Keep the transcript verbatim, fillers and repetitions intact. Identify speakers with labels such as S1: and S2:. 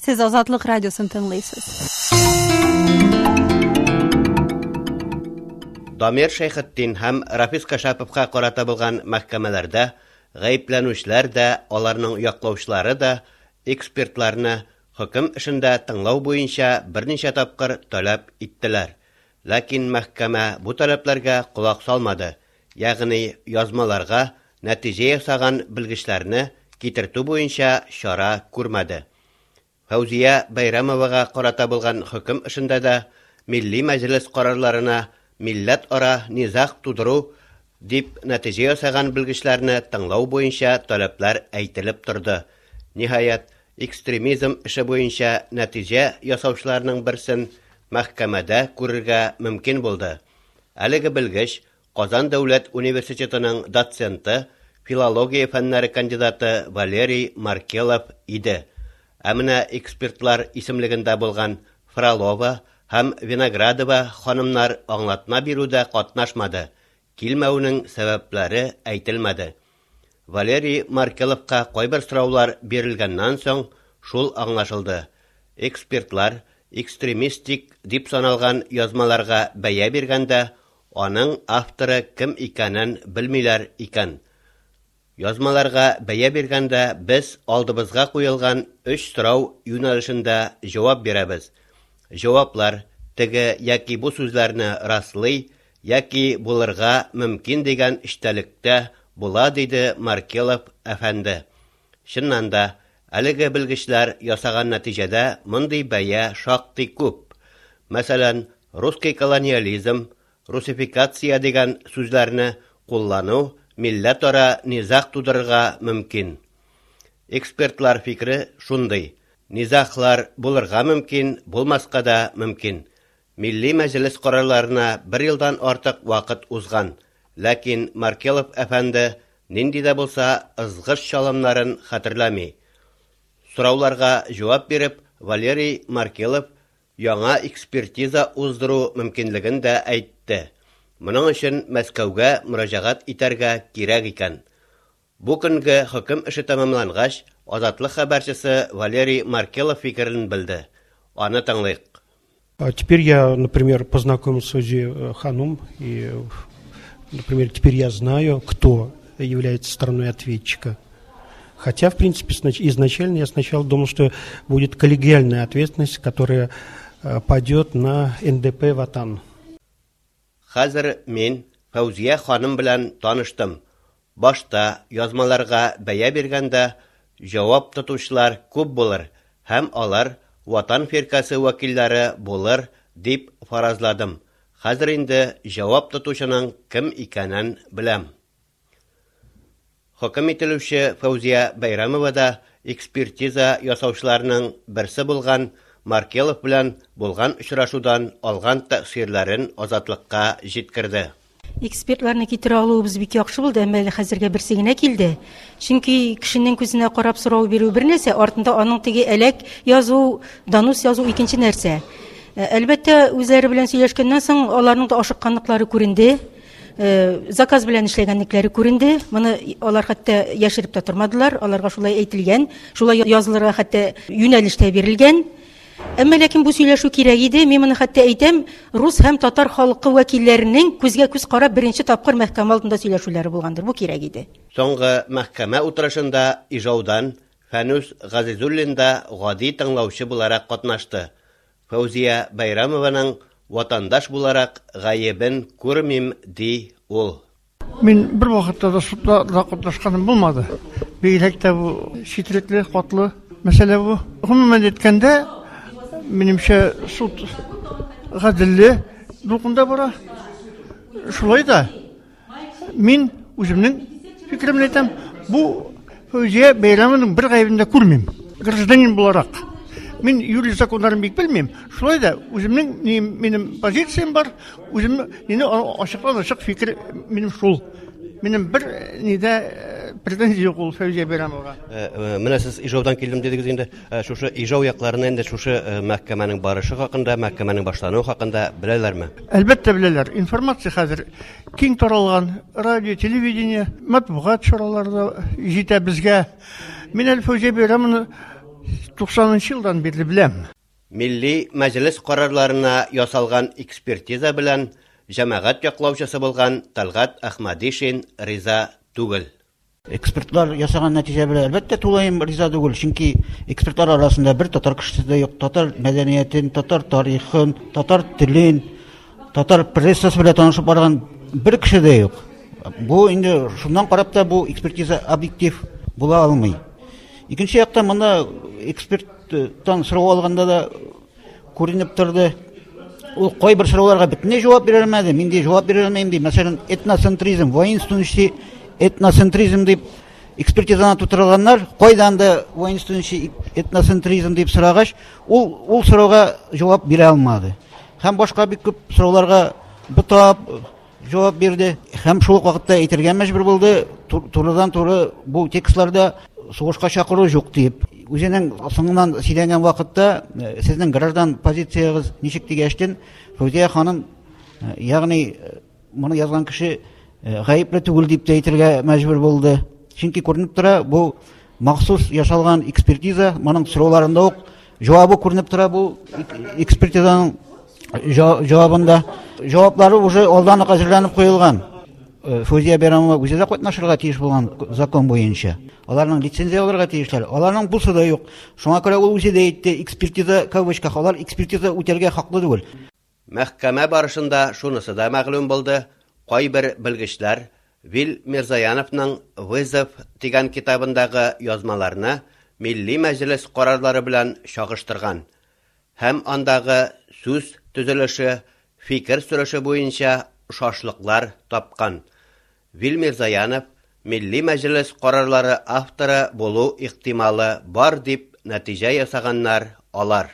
S1: Сез Азатлык радиосын тыңлыйсыз.
S2: Дамир Шәйхетдин һәм Рафис Кашаповка карата булган мәхкәмәләрдә гаепләнүчеләр дә, аларның яклаучылары да экспертларны хөкем эшендә тыңлау буенча берничә тапкыр таләп иттеләр. Ләкин мәхкәмә бу таләпләргә колак салмады, ягъни язмаларга нәтиҗә ясаган белгечләрне китертү буенча чара күрмәде. Фәүзия Бәйрәмовага карата булган хөкем эшендә дә Милли Мәҗлес карарларына милләт-ара низаг тудыру дип нәтиҗә ясаган белгечләрне тыңлау буенча таләпләр әйтелеп торды. Ниһаять, экстремизм эше буенча нәтиҗә ясаучыларның берсен мәхкәмәдә күрергә мөмкин булды. Әлеге белгеч Казан дәүләт университетының доценты, филология фәннәре кандидаты Валерий Маркелов иде. Ә менә экспертлар исемлегендә булган Фролова һәм Виноградова ханымнар аңлатма бирүдә катнашмады. Килмәүнең сәбәпләре әйтелмәде. Валерий Маркеловка кайбер сораулар бирелгәннән соң шул аңлашылды. Экспертлар экстремистик дип саналган язмаларга бәя биргәндә аның авторы кем икәнен белмиләр икән. Язмаларга бәя биргәндә без алдыбызга куелган өч сорау юнәлешендә җавап бирәбез. Җаваплар теге яки бу сүзләрне раслый яки булырга мөмкин дигән эчтәлектә була, диде Маркелов әфәнде. Чыннан да, әлеге белгечләр ясаган нәтиҗәдә мондый бәя шактый күп. Мәсәлән, русский колониализм, русификация дигән сүзләрне куллану милләтара низаг тудырырга мөмкин. Экспертлар фикере шундый: низаглар булырга мөмкин, булмаска да мөмкин. Милли Мәҗлес карарларына бер елдан артык вакыт узган, ләкин Маркелов әфәнде нинди дә булса ызгыш чалымнарын хәтерләми. Сорауларга җавап биреп, Валерий Маркелов яңа экспертиза уздыру мөмкинлеген дә әйтте. Моның өчен Мәскәүгә мөрәҗәгать итәргә кирәк икән. Бу көнге хөкем эше тәмамлангач, Азатлык хәбәрчесе Валерий Маркелов фикерен белде. Аны тыңлыйк.
S3: А теперь я, например, познакомился с Фаузией Ханум, и, например, теперь я знаю, кто является стороной ответчика. Хотя, в принципе, изначально я сначала думал, что будет коллегиальная ответственность, которая падет на эн дэ пэ «Ватан».
S2: Хәзер мин Фәүзия ханым белән таныштым. Башта язмаларга бәя биргәндә җавап тотучылар күп булыр һәм алар Ватан фиркасе вәкилләре булыр дип фаразладым. Хәзер инде җавап тотучының кем икәнен беләм. Хөкем ителүче Фәүзия Бәйрәмова да экспертиза ясаучыларның берсе булган Маркелов белән булган очрашудан алган тәэсирләрен Азатлыкка җиткерде.
S4: Экспертларны китерә алуыбыз бик яхшы булды, әмма әле хәзергә берсе генә килде. Чөнки кешенең күзенә карап сорау бирү бер нәрсә, артында аның теге әләк язу, донос язу икенче нәрсә. Әлбәттә, үзләре белән сөйләшкәннән соң аларның да ашыкканлыклары күренде. Заказ белән эшләгәнлекләре күренде. Моны алар хәтта яшереп тә тормадылар, аларга шулай әйтелгән, шулай язылырга хәтта юнәлеш тә бирелгән. Әмма ләкин бу сөйләшү кирәк иде. Мин моны хәтта әйтәм, рус һәм татар халкы вәкилләренең күзгә күз карап беренче тапкыр мәхкәмә алдында сөйләшүләре булгандыр. Бу кирәк иде.
S2: Соңгы мәхкәмә утырышында Ижаудан Фәнүс Газизуллин да гади тыңлаучы буларак катнашты. Фәүзия Бәйрәмованың ватандаш буларак гаебен күрмим, ди ул.
S5: Мин бер вакытта да судта да катнашканым булмады. Бигрәк тә бу четерекле, катлы мәсьәлә бу. Гомумән әйткәндә, минемчә, суд гаделле дулкында бара. Шулай да мин үземнең фикеремне әйтәм, бу Фәүзия Бәйрәмованың бер гаебен дә күрмим. Гражданин буларак. Мин юрист законнарын бик белмим. Шулай да үземнең минем позициям бар, үзем мине ачыктан-ачык фикер минем шул. Минем бер нидә претензия юк ул Фәүзия Бәйрәмовага.
S2: Менә сез Ижаудан килдем дидегез инде. Шушы Ижау якларына инде шушы мәхкәмәнең барышы хакында, мәхкәмәнең башлануы хакында беләләрме?
S5: Әлбәттә беләләр. Информация хәзер киң таралган. Радио, телевидение, матбугат чаралары да җитә безгә. Мин әле Фәүзия Бәйрәмованы Туксанынчы елдан бирле беләм.
S2: Милли Мәҗлес карарларына ясалган экспертиза белән җәмәгать яклаучысы булган Талгат Әхмәдишин риза түгел.
S6: Экспертлар ясаган нәтиҗә белән әлбәттә тулаем риза түгел, чөнки экспертлар арасында бер татар кешесе дә юк. Татар мәдәниятен, татар тарихын, татар телен, татар прессасы белән танышып барган бер кеше дә юк. Бу инде шуннан карап та бу экспертиза объектив була алмый. Икенче яктан монда эксперттан сорау алганда да күренеп торды. Ул кайбер сорауларга бөтенләй җавап бирә алмады. Мин дә җавап бирә алмыйм ди. Мәсәлән, этноцентризм, воинствующий этноцентризм дип экспертизаны тутырганнар, кайдан да воинствующий этноцентризм дип сорагач, ул ул сорауга җавап бирә алмады. Һәм башка бик күп сорауларга бутап җавап бирде. Һәм шул ук вакытта әйтергә мәҗбүр булды, турыдан-туры бу текстларда сугышка чакыру юк дип. Үзенең соңыннан сөйләгән вакытта сезнең граждан позициягыз ничек дигәчтен, Фәүзия ханым, ягъни моны язган кеше гаепле түгел дип тә әйтергә мәҗбүр булды. Чөнки күренеп тора, бу махсус ясалган экспертиза, моның сорауларында ук җавабы күренеп тора бу экспертизаның җавабында. Җаваплары уже алдан ук әзерләнеп куелган. Фәүзия Бәйрәмова үзе дә катнашырга тиеш булган закон буенча. Аларның лицензия алырга тиешләр. Аларның бусы да юк. Шуңа күрә ул үзе дә әйтте, экспертиза кавычках, алар экспертиза үтәргә хаклы түгел.
S2: Мәхкәмә барышында шунысы да мәгълүм булды. Кайбер белгечләр Вил Мирзаяновның «Вызов» дигән китабындагы язмаларны Милли Мәҗлес карарлары белән чагыштырган һәм андагы сүз төзелеше, фикер сөреше буенча шашлыклар тапкан. Вил Мирзаянов Милли Мәҗлес карарлары авторы булу ихтималы бар дип нәтиҗә ясаганнар алар.